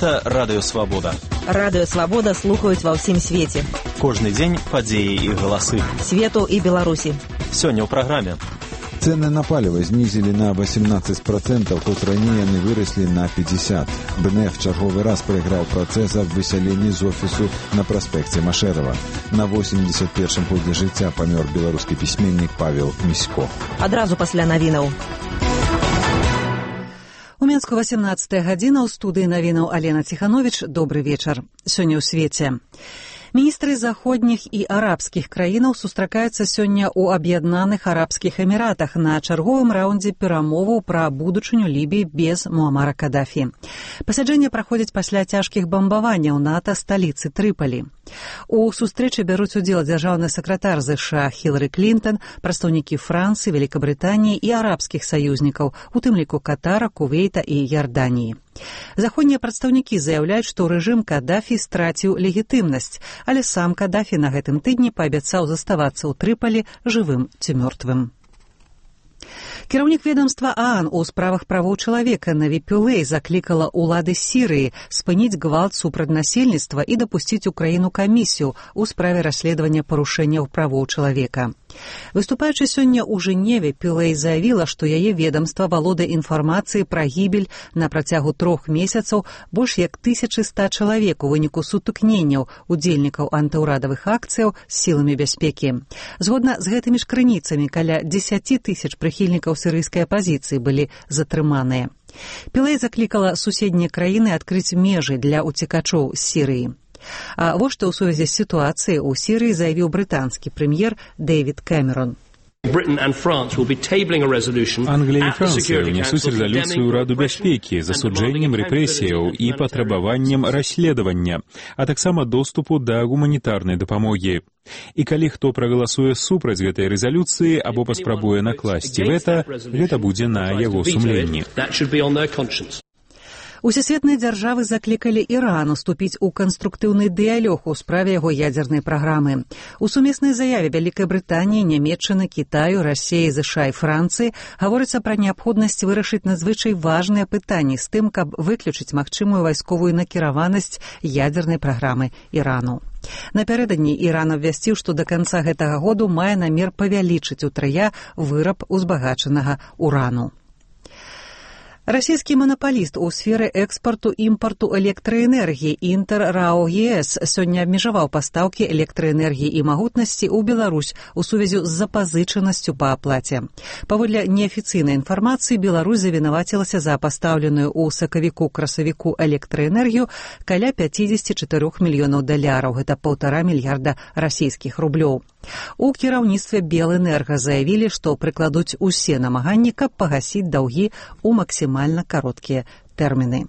Гэта Радыё Свабода. Радыё Свабода слухаюць ва ўсім свеце. Кожны дзень падзеі і галасы. Свету і Беларусі. Сёння ў праграме. Цены на паліва знізілі на 18%, хоць раней яны выраслі на 50%. БНФ чарговы раз прайграў працэс аб высяленні з офісу на праспекце Машэрава. На 81-м годзе жыцця памёр беларускі пісьменнік Павел Місько. Адразу пасля навінаў. У Менску 18 гадзіна, ў студыі навінаў Алена Ціхановіч. Добры вечар. Сёння ў свеце. Міністры заходніх і арабскіх краінаў сустракаюцца сёння ў Аб'яднаных Арабскіх Эміратах на чарговым раўндзе перамоваў пра будучыню Лібіі без Муамара Кадафі. Пасяджэнне праходзіць пасля цяжкіх бамбаванняў НАТО сталіцы Трыпалі. У сустрэчы бяруць удзел дзяржаўны сакратар ЗША Хілары Клінтон, прадстаўнікі Францыі, Великабрытаніі і арабскіх саюзнікаў, у тым ліку Катара, Кувейта і Ярданіі. Заходнія прадстаўнікі заяўляюць, што рэжым Кадафі страціў легітымнасць, але сам Кадафі на гэтым тыдні паабяцаў заставацца ў Трыпалі жывым ці мёртвым. Кіраўнік ведомства ААН у справах правоў чалавека Наві Пюлэй заклікала ўлады Сірыі спыніць гвалт супраць насельніцтва і дапусціць у краіну камісію ў справе расследавання парушэнняў правоў чалавека. Выступаючы сёння ў Жэневе, Пюлэй заявіла, што яе ведамства валодае інфармацыяй пра гібель на працягу 3 месяцаў больш як 1100 чалавек у выніку сутыкненняў удзельнікаў антыўрадавых акцыяў з сіламі бяспекі. Згодна з гэтымі ж крыніцамі, каля 10 000 прыхільнікаў сірыйскай апазіцыі былі затрыманыя. Пюлэй заклікала суседнія краіны адкрыць межы для уцекачоў з Сірыі. А вось што ў сувязі з сітуацыяй у Сірыі заявіў брытанскі прэм'ер Дэвід Кэмерон. Англія і Францыя ўнесуць рэзалюцыю ў Раду бяспекі з асуджэннем рэпрэсіяў і патрабаваннем расследавання, а таксама доступу да гуманітарнай дапамогі. І калі хто прагаласуе супраць гэтай рэзалюцыі або паспрабуе накласці вета, гэта будзе на яго сумленні. Усесветныя дзяржавы заклікалі Іран уступіць у канструктыўны дыялог у справе яго ядзернай праграмы. У сумеснай заяве Вялікай Брытаніі, Нямецчыны, Кітаю, Расіі, ЗША і Францыі гаворыцца пра неабходнасць вырашыць надзвычай важныя пытанні з тым, каб выключыць магчымую вайсковую накіраванасць ядзернай праграмы Ірану. Напярэдадні Іран абвясціў, што да канца гэтага году мае намер павялічыць утрая выраб узбагачанага урану. Расійскі манапаліст у сферы экспарту-імпарту электраэнергіі Інтэр РАО ЕС сёння абмежаваў пастаўкі электраэнергіі і магутнасці ў Беларусь у сувязі з запазычанасцю па аплаце. Паводле неафіцыйнай інфармацыі, Беларусь завінавацілася за пастаўленую ў сакавіку-красавіку электраэнергію каля $54 мільёнаў. Гэта 1,5 мільярда расійскіх рублёў. У кіраўніцтве Белэнерга заявілі, што прыкладуць усе намаганні, каб пагасіць даўгі ў максімальна кароткія тэрміны.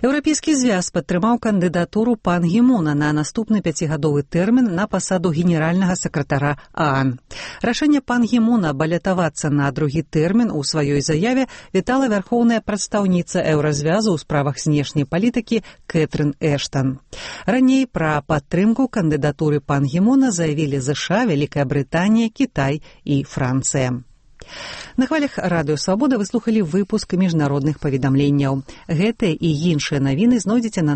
Еўрапейскі звяз падтрымаў кандыдатуру Пан Гі Муна на наступны 5-гадовы тэрмін на пасаду генеральнага сакратара ААН. Рашэнне Пан Гі Муна балятавацца на другі тэрмін у сваёй заяве вітала вярхоўная прадстаўніца Еўразвязу ў справах знешняй палітыкі Кэтрын Эштан. Раней пра падтрымку кандыдатуры Пан Гі Муна заявілі ЗША, Вялікая Брытанія, Кітай і Францыя. На хвалях Радыё Свабода вы слухалі выпуск міжнародных паведамленняў. Гэтыя і іншыя навіны знойдзеце на